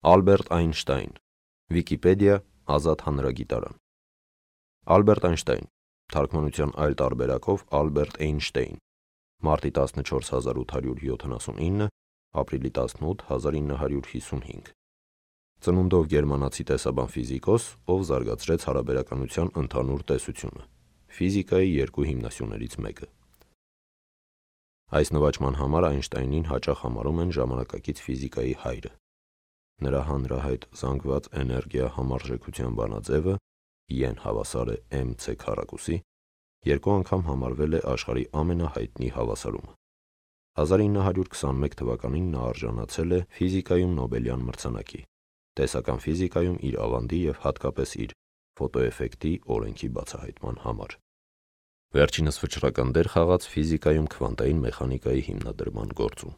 Ալբերտ Այնշտայն, Վիկիպեդիա, ազատ հանրագիտարան։ Ալբերտ Այնշտայն, թարգմանության այլ տարբերակով Ալբերտ Էյնշտեյն, մարտի 14 1879, ապրիլի 18 1955։ Ծնունդով գերմանացի տեսաբան ֆիզիկոս, ով զարգացրեց հարաբերականության ընդհանուր տեսությունը, ֆիզիկայի երկու հիմնասյուներից մեկը։ Այս նվաճման համար Այնշտայնին հաճախ համարում են ժամանակակից ֆիզիկայի հայրը։ Նրա հանրահայտ զանգված էներգիա համարժեքության բանաձևը Ե հավասար է mc քառակուսի, երկու անգամ համարվել է աշխարհի ամենահայտնի հավասարումը։ 1921 թվականին նա արժանացել է ֆիզիկայում Նոբելյան մրցանակի, տեսական ֆիզիկայում իր ավանդի և հատկապես իր ֆոտոէֆեկտի օրենքի բացահայտման համար։ Վերջինս վճռական դեր խաղաց ֆիզիկայում քվանտային մեխանիկայի հիմնադրման գործում։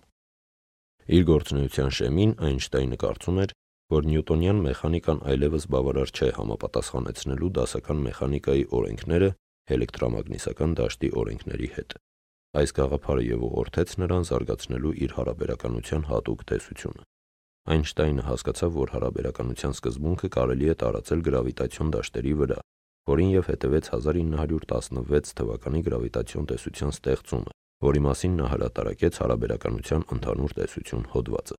Իր գործունեության շեմին Այնշտայնը կարծում էր, որ նյուտոնյան մեխանիկան այլևս բավարար չէ համապատասխանեցնելու դասական մեխանիկայի օրենքները էլեկտրամագնիսական դաշտի օրենքների հետ։ Այս գաղափարը և ուղղորդեց նրան զարգացնելու իր հարաբերականության հատուկ տեսությունը։ Այնշտայնը հասկացավ, որ հարաբերականության սկզբունքը կարելի է տարածել գրավիտացիոն դաշտերի վրա, որին և հետևեց 1916 թվականի գրավիտացիոն տեսության ստեղծումը, որի մասին նա հրատարակեց հարաբերականության ընդհանուր տեսություն հոդվածը։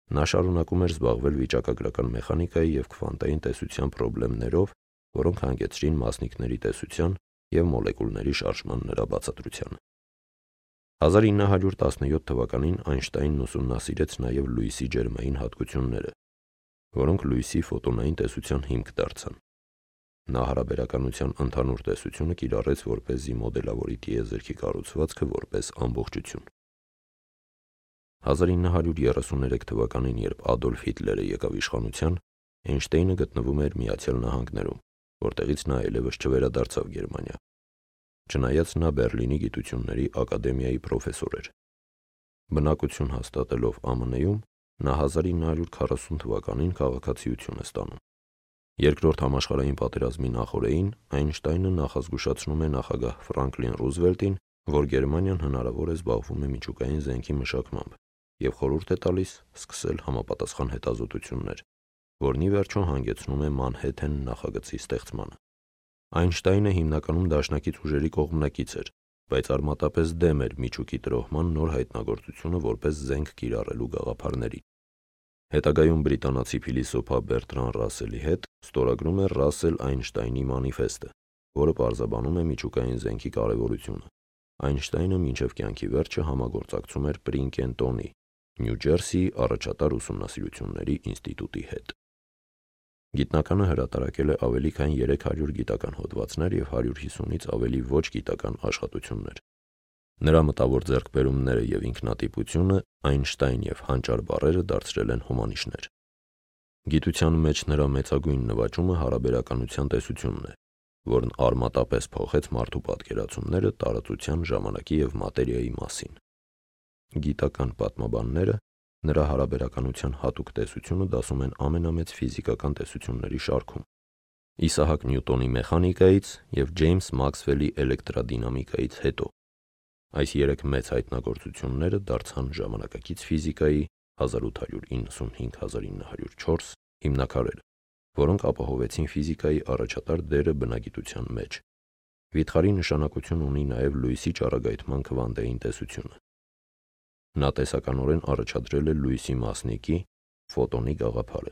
Նա շարունակում էր զբաղվել վիճակագրական մեխանիկայի և քվանտային տեսության խնդիրներով, որոնք հանգեցրին մասնիկների տեսության և մոլեկուլների շարժման նրա բացատրությանը։ 1917 թվականին Այնշտայնն ուսումնասիրեց նաև լույսի ջերմային հատկությունները, որոնք լույսի ֆոտոնային տեսության հիմք դարձան։ Նա հարաբերականության ընդհանուր տեսությունը կիրառեց, որպեսզի մոդելավորի տիեզերքի կառուցվածքը որպես ամբողջություն։ 1933 թվականին, երբ Ադոլֆ Հիտլերը եկավ իշխանության, Այնշտայնը գտնվում էր Միացյալ Նահանգներում, որտեղից նա այլևս չվերադարձավ Գերմանիա, չնայած նա Բեռլինի գիտությունների ակադեմիայի պրոֆեսոր էր։ Բնակություն հաստատելով ԱՄՆ-ում, նա 1940 թվականին քաղաքացիություն է ստանում։ Երկրորդ համաշխարհային պատերազմի նախօրեին Այնշտայնը նախազգուշացնում է նախագահ Ֆրանկլին Ռուզվելտին, որ Գերմանիան հնարավոր է զբաղվում է միջուկային զենքի մշակմամբ, և խորհուրդ է տալիս սկսել համապատասխան հետազոտություններ, որն ի վերջո հանգեցնում է Մանհեթեն նախագծի ստեղծմանը։ Այնշտայնը հիմնականում դաշնակից ուժերի կողմնակից էր, բայց արմատապես դեմ էր միջուկի տրոհման նոր հայտնագործությունը որպես զենք կիրառելու գաղափարների։ Հետագայում բրիտանացի փիլիսոփա Բերտրան Ռասելի հետ ստորագրում է Ռասել-Այնշտայնի մանիֆեստը, որը պարզաբանում է միջուկային զենքի կարևորությունը։ Այնշտայնը մինչև կյանքի վերջը համագործակցում էր Պրինկենտոնի, Նյու Ջերսիի առաջատար ուսումնասիրությունների ինստիտուտի հետ։ Գիտնականը հրատարակել է ավելի քան 300 գիտական հոդվածներ և 150-ից ավելի ոչ գիտական աշխատություններ։ Նրա մտավոր ձեռքբերումները և ինքնատիպությունը Այնշտայն և հանճար բառերը դարձրել են հոմանիշներ։ Գիտության մեջ նրա մեծագույն նվաճումը հարաբերականության տեսությունն է, որն արմատապես փոխեց մարդու պատկերացումները տարածության, ժամանակի և մատերիայի մասին։ Գիտական պատմաբանները նրա հարաբերականության հատուկ տեսությունը դասում են ամենամեծ ֆիզիկական տեսությունների շարքում՝ Իսահակ Նյուտոնի մեխանիկայից և Ջեյմս Մաքսվելի էլեկտրադինամիկայից հետո։ Այս երեք մեծ հայտնագործությունները դարձան ժամանակակից ֆիզիկայի 1895-1904 հիմնաքարերը, որոնք ապահովեցին ֆիզիկայի առաջատար դերը բնագիտության մեջ։ Վիթխարի նշանակություն ունի նաև լույսի ճառագայթման քվանտային տեսությունը։ Նա տեսականորեն առաջադրել է լույսի մասնիկի ֆոտոնի գաղափարը,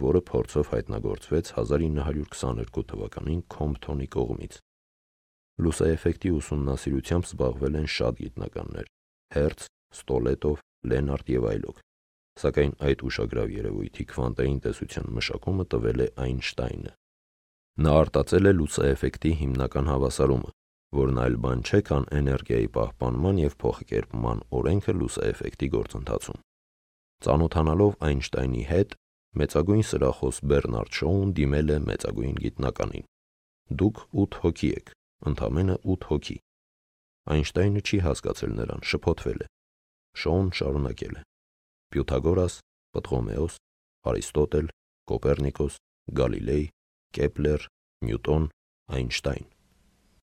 որը փորձով հայտնագործվեց 1922 թվականին Քոմփթոնի կողմից։ Լուսաեֆեկտի ուսումնասիրությամբ զբաղվել են շատ գիտնականներ՝ Հերց, Ստոլետով, Լենարդ և այլոք, սակայն այդ ուշագրավ երևույթի քվանտային տեսության մշակումը տվել է Այնշտայնը։ Նա արտածել է լուսաեֆեկտի հիմնական հավասարումը, որն այլ բան չէ, քան էներգիայի պահպանման և փոխկերպման օրենքը լուսաեֆեկտի գործընթացում։ Ծանոթանալով Այնշտայնի հետ, մեծագույն սրախոս Բեռնարդ Շոուն դիմել է մեծագույն գիտնականին. «Դուք 8 հոգի եք, ընդամենը 8 հոգի»։ Այնշտայնը չի հասկացել նրան, շփոթվել է։ Շոուն շարունակել է. «Պյութագորաս, Պտղոմեոս, Արիստոտել, Կոպեռնիկոս, Գալիլեյ, Կեպլեր, Նյուտոն, Այնշտայն»։